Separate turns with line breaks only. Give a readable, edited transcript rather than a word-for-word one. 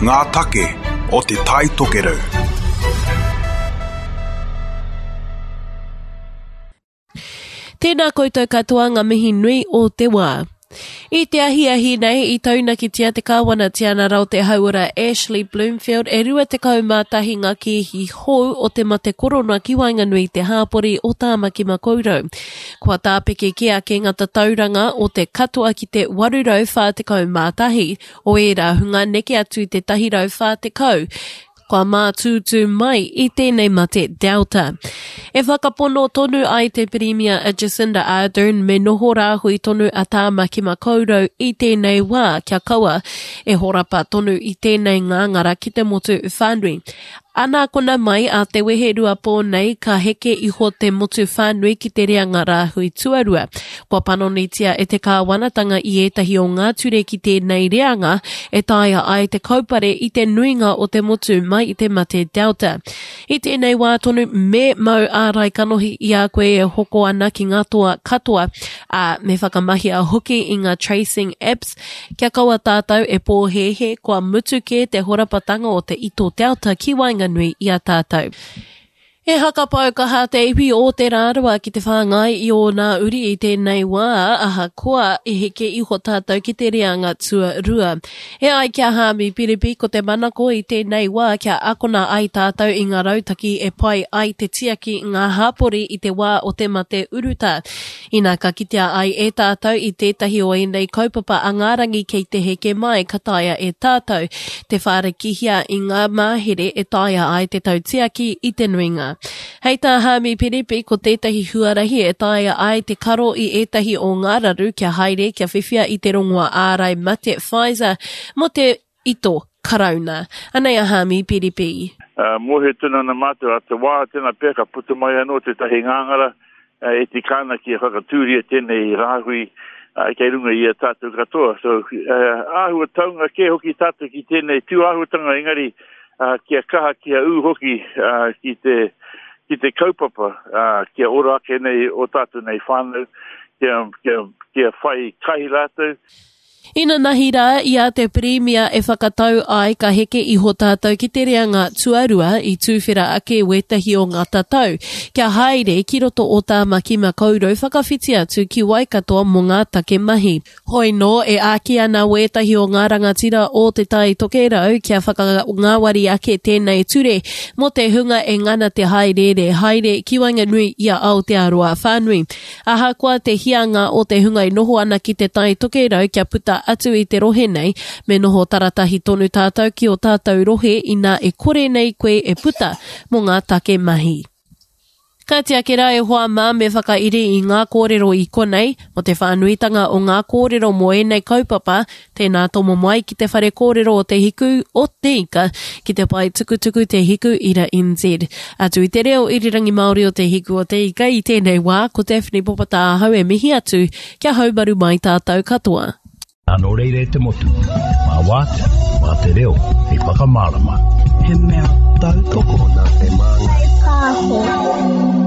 Ngā take o Te Tai Tokerau.
Tēnā koutou katoa ngā mihi nui o te wā. I te ahiahi nei i taunakitia te Kāwana Tianara o te Hauora Ashley Bloomfield e 21 ngā kēhi hou o te mate korona ki waenganui i te hāpori o Tāmaki Makaurau. Kua tāpeke kē ake ngā tatauranga o te katoa ki te 841 o ērā hunga neke atu i te 140 kua mātūtū mai i tēnei mate Delta. E whakapono tonu ai te Pirimia a Jacinda Ardern me noho rāhui tonu a Tāmaki Makaurau i tēnei wā kia kaua e horapa tonu i tēnei ngāngara ki te motu whānui. Ana kona mai a te weherua pō nei ka heke iho te motu whānui ki te reanga rāhui tuarua. Kua panonitia e te kāwanatanga i ētahi o ngā ture ki tēnei reanga e taea ai te kaupare i te nuinga o te motu mai i te mate Delta. I tēnei wā tonu me mau ārai kanohi i a koe e hoko ana ki ngā toa katoa, ā, me whakamahia hoki i ngā tracing apps Kia kaua tātou e pōhēhē kua mutu kē te horapatanga o te ito Delta ki waenganui i a tātou. E hakapau kaha te iwi o Te Rarawa ki te whāngai i ōna uri i tēnei wā, ahakoa i heke iho tātou ki te reanga tuarua. E ai ki a Haami Piripi, ko te manako i tēnei wā kia akona ai tātou i ngā rautaki e pai ai te tiaki ngā hapori i te wā o te mate urutā. Ina ka kitea ai e tātou i tētahi o ēnei kaupapa a ngā rangi kei te heke mai ka taea e tātou te whārikihia i ngā mahere e taea ai te tautiaki i te nuinga. Hei tā Haami Piripi ko tētahi huarahi e taea ai te karo i ētahi o ngā raru kia haere kia whiwhia i te rongoa ārai mate Pfizer mō te ito Karauna. Anei a Haami Piripi.
Mōhio tonu ana mātou, a te wā tēnā pea ka puta mai anō tētahi ngāngara e tika ana kia whakatūria tēnei rāhui kei runga i a tātou katoa. So, āhua taunga kē hoki tātou ki tēnei tū āhuatanga, engari kia kaha, kia ū hoki ki te, ki te kaupapa, kia ora ake nei o tātou nei whānau, kia, kia, kia whai kai rātou.
Inanahi rā i a te Pirimia e whakatau ai ka heke iho tātou ki te reanga tuarua i tūwhera ake wētahi o ngā tatau kia haere ki roto o Tāmaki Makaurau whakawhiti atu ki Waikato mō ngā take mahi. Hoi nō e āki ana wētahi o ngā rangatira o Te Tai Tokerau kia whakangāwari ake tēnei ture mō te hunga e ngana te hāereere haere ki waenganui i a Aotearoa whānui. Ahakoa te hianga o te hunga e noho ana ki Te Tai Tokerau kia puta atu i te rohe nei, me noho taratahi tonu tātou ki ō tātou rohe inā e kore nei koe e puta mō ngā take mahi. Ka tiaki rā e hoa mā me whakairi i ngā kōrero i konei, mō te whānuitanga o ngā kōrero mō ēnei kaupapa, Tēnā tomo mai ki te whare kōrero o Te Hiku o Te Ika ki te pae tukutuku Te Hiku Ira NZ. Atu i te reo irirangi Māori o Te Hiku o Te Ika i tēnei wā, ko Daphne Popata ahau e mihi atu kia haumaru mai tātou katoa.
Nō reira e te motu, mā Wātea, mā te reo hei whakamārama.
He mea tautoko
nā te māngai. Pāho.